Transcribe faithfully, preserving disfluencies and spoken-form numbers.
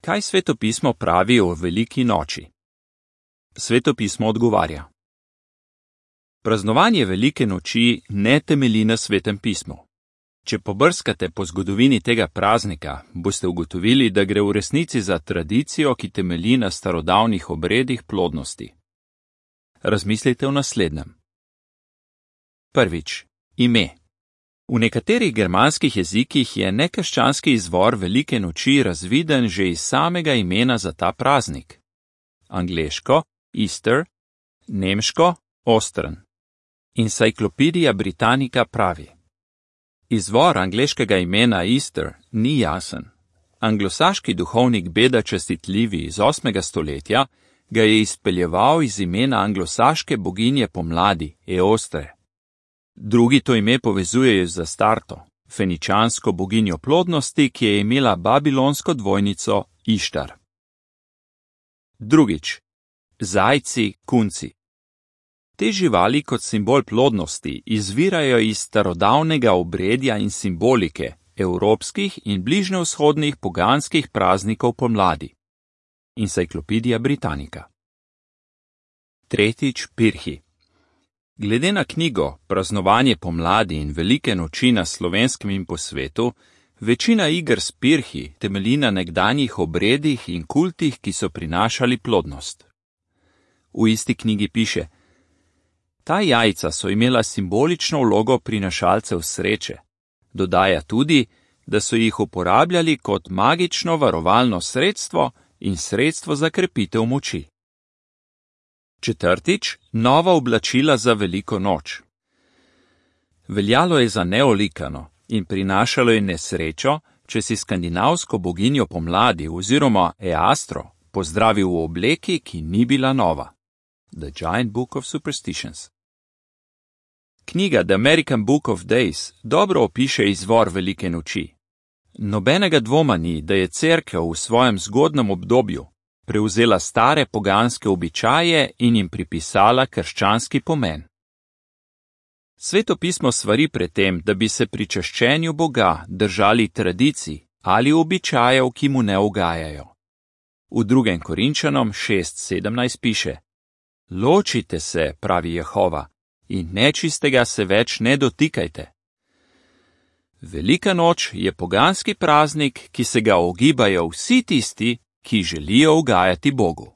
Kaj svetopismo pravi o veliki noči? Svetopismo odgovarja. Praznovanje velike noči ne temelji na svetem pismu. Če pobrskate po zgodovini tega praznika, boste ugotovili, da gre v resnici za tradicijo, ki temelji na starodavnih obredih plodnosti. Razmislite o naslednjem. Prvič, ime. V nekaterih germanskih jezikih je nekrščanski izvor velike noči razviden že iz samega imena za ta praznik. Angleško, Easter, nemško, Ostern. Encyclopedia Britannica pravi. Izvor angleškega imena Easter ni jasen. Anglosaški duhovnik Beda Čestitljivi iz osmega stoletja ga je izpeljeval iz imena anglosaške boginje pomladi, Eostre. Drugi to ime povezujejo z Astarto, feničansko boginjo plodnosti, ki je imela babilonsko dvojnico Ištar. Drugič. Zajci, kunci. Te živali kot simbol plodnosti izvirajo iz starodavnega obredja in simbolike evropskih in bližnjevzhodnih poganskih praznikov pomladi. Encyclopedia Britannica. Tretjič, pirhi. Glede na knjigo Praznovanje pomladi in velike noči na Slovenskem in po svetu, večina iger s pirhi temelji na nekdanjih obredih in kultih, ki so prinašali plodnost. V isti knjigi piše: Ta jajca so imela simbolično vlogo prinašalcev sreče. Dodaja tudi, da so jih uporabljali kot magično varovalno sredstvo in sredstvo za krepitev moči. Četrtič, nova oblačila za veliko noč. Veljalo je za neolikano in prinašalo je nesrečo, če si skandinavsko boginjo pomladi oziroma Eastro pozdravil v obleki, ki ni bila nova. The Giant Book of Superstitions. Knjiga The American Book of Days dobro opiše izvor velike noči. Nobenega dvoma ni, da je cerkev v svojem zgodnjem obdobju prevzela stare poganske običaje in jim pripisala krščanski pomen. Svetopismo svari pred tem, da bi se pri čaščenju Boga držali tradicij ali običajev, ki mu ne ugajajo. V drugem Korinčanom šest sedemnajst piše: Ločite se, pravi Jehova, in nečistega se več ne dotikajte. Velika noč je poganski praznik, ki se ga ogibajo vsi tisti, ki želijo ugajati Bogu.